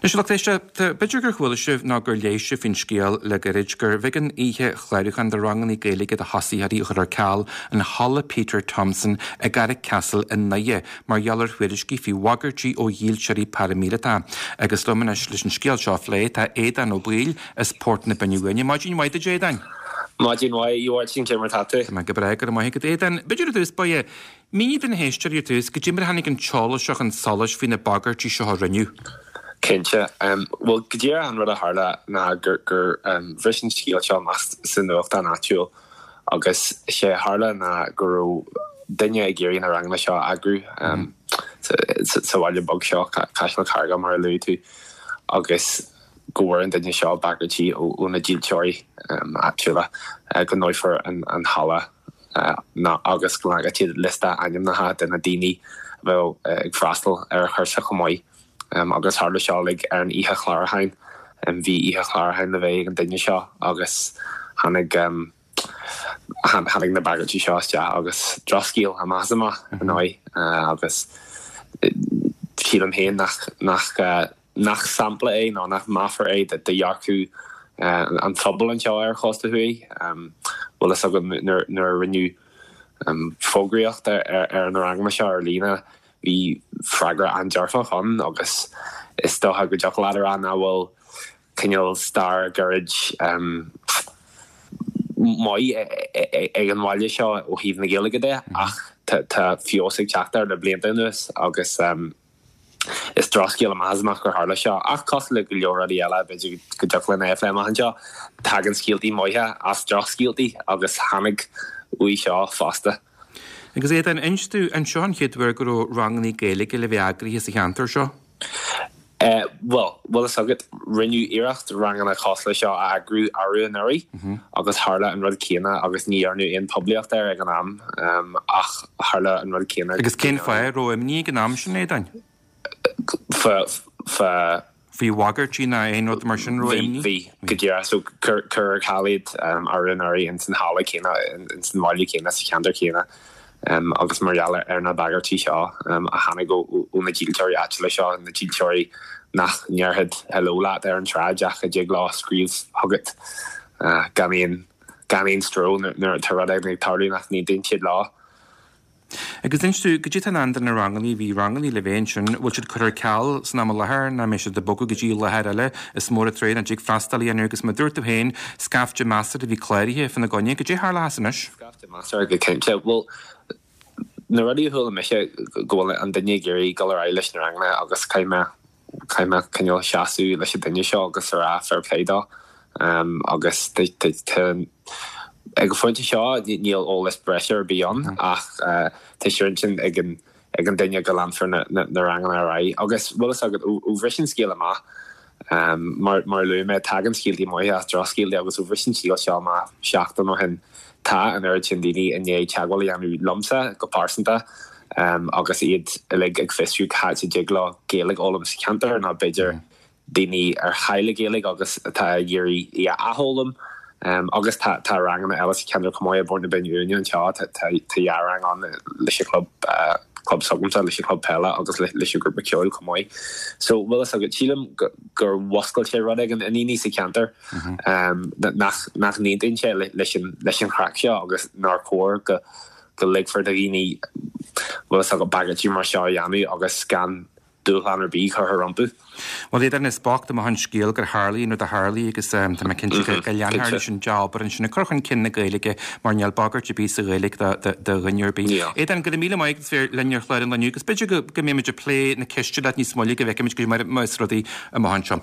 Anois, a lucht éisteachta, b'fhéidir gur chuala sibh nó gur léigh sibh faoin scéal le gairid gurbh éigean oíche chlárúcháin do ranganna Gaeilge do thosaitheoirí a chur ar ceal in Halla Peter Thompson i gCarrickcastle i nDoire mar gheall ar thuairiscí faoi bhagairtí ó dhílseoirí paraimíleata. Agus liom anois leis an scéal seo a phlé tá Aodán Ó Baoill as Port na Binne Uaine. Maidin mhaith duit, Aodáin. Maidin mhaith, a Mháirtín, cé mar tá tú? Tá mé go breá, go raibh maith agat, Aodáin. B'fhéidir i dtús báire, Mínigh do na héisteoirí ar dtús, goidé mar a tháinig an t-eolas seo chun solais faoi na bagairtí seo a rinneadh. Cinnte. Bhuel, go díreach an rud a tharla ná gur gur bhris an scéal seo amach sa nuachtán áitiúil agus sé a tharla ná go raibh duine ag iarraidh na ranganna seo a eagrú sa bhaile beag seo, Caiseal an Charraige mar a luaigh tú, agus go bhfuair an duine seo bagairtí ó na dílseoirí áitiúla go ndófar an halla. ná agus go leagfadh siad liosta ainmneacha de na daoine a bheadh ag freastal ar an chúrsa chomh maith. Agus tharla seo uilig ar an oíche chlárúcháin. Bhí oíche chlárúcháin le bheith ag an duine seo agus tháinig tháinig na bagairtí seo isteach agus drochscéal amach is amach ar ndóigh agus sílim féin nach nach nach sampla é ná nach meafar é de dhearcadh an phobail anseo ar an chósta thuaidh. Bhfuil fhios agat nuair a rinneadh fógraíocht ar na ranganna seo ar líne bhí freagra an-dearfach ann agus is dócha go dtiocfadh leat a rá nach bhfuil cineál stair ghairid maith ag an bhaile seo ó thaobh na Gaeilge de ach tá feabhas ag teacht air le blianta anuas agus Is drochscéal amach is amach gur tharla seo, ach cosúil le go leor rudaí eile, b'fhéidir go dtiocfadh linn é a phlé amach anseo, tagann scéaltaí maithe as drochscéaltaí agus tháinig uaidh seo fosta. Agus Aodán, inis domh, an seo an chéad uair go raibh ranganna Gaeilge le bheith eagraithe sa cheantar seo? Bhuel, bhfuil fhios agat, rinneadh iarracht ranganna cosúil le seo a eagrú arú anuraidh agus tharla an rud céanna agus ní dhearnadh aon poiblíocht air ag an am ach tharla an rud céanna. Agus cén fáth a raibh imní ag an am sin, Aodáin? Fá, fá. Faoi bhagairtí ná aon rud mar sin, raibh imní? Bhí, go díreach. So cuireadh ar ceal iad arú anuraidh ins an halla céanna, ins an bhaile céanna, sa cheantar céanna. agus mar gheall ar na bagairtí seo a tháinig ó na dílseoirí áitiúla seo, na dílseoirí nach ndéarfadh hello leat ar an tsráid ach a dtig leo scríobh chugat gan aon gan aon stró nuair atá rud éigin ag tarlú nach n-aontaíonn siad leo. Agus inis domh, goidé atá i ndán do na ranganna, bhí ranganna le bheith ansin, bhfuil siad curtha ar ceal san am i láthair nó an mbeidh siad ag bogadh go dtí láthair eile is mór an trua nach dtig freastal a dhéanamh agus mar a dúirt tú féin, scaifte measartha a bhí cláraithe fána gcoinne, goidé a tharlóchas anois? Scaifte measartha go cinnte. Bhuel, na rudaí a chuala mise, go bhfuil an duine ag iarraidh dul ar aghaidh leis na ranganna agus caithfidh mé, caithfidh mé cineál seasamh leis an duine seo agus a rá fair play dó. Agus tá, ag an phointe seo níl eolas breise ar bith ann ach tá sé ar intinn ag an, ag an duine go leanfar na ranganna ar aghaidh. Agus bhfuil fhios agat, ó bhris an scéal amach, mar a luaigh mé, tagann scéaltaí maithe as drochscéaltaí agus ó bhris an scéal seo amach seachtain ó shin, tá an oiread sin daoine i ndiaidh teagmháil a dhéanamh liomsa go pearsanta agus iad uilig ag fiosrú cá háit a dtig leo Gaeilge a fhoghlaim sa cheantar nó b'fhéidir daoine ar chaill a Gaeilge agus atá ag iarraidh í a athfhoghlaim. Agus tá tá ranganna eile sa cheantar chomh maith i bPort na Binne Uaine anseo, tá tá dhá rang ann leis an chlub club s'agamsa, leis an chlub peile agus leis an ghrúpa ceoil chomh maith. So bhfuil fhios agat, sílim gur mhuscail sé rud éigin i ndaoine sa cheantar nach nach n-aontaíonn sé leis an leis an chraic seo agus nár chóir go go ligfear do dhaoine bhfuil fhios agat bagairtí mar seo a dhéanamh agus gan dúshlán ar bith curtha rompu. Bhuel, Aodán, is bocht amach an scéal gur tharlaigh an rud a tharlaigh agus tá mé cinnte go leanfar leis an dea-obair ansin ag cur chun cinn na Gaeilge mar níl bagairt ar bith sa Ghaeilge do dhuine ar bith. Aodán, go raibh míle maith agat as bheith linn ar chlár an lae inniu agus b'fhéidir go mbeimid ag plé na ceiste leat níos moille go bhfeicfimid go mar is rudaí amach anseo.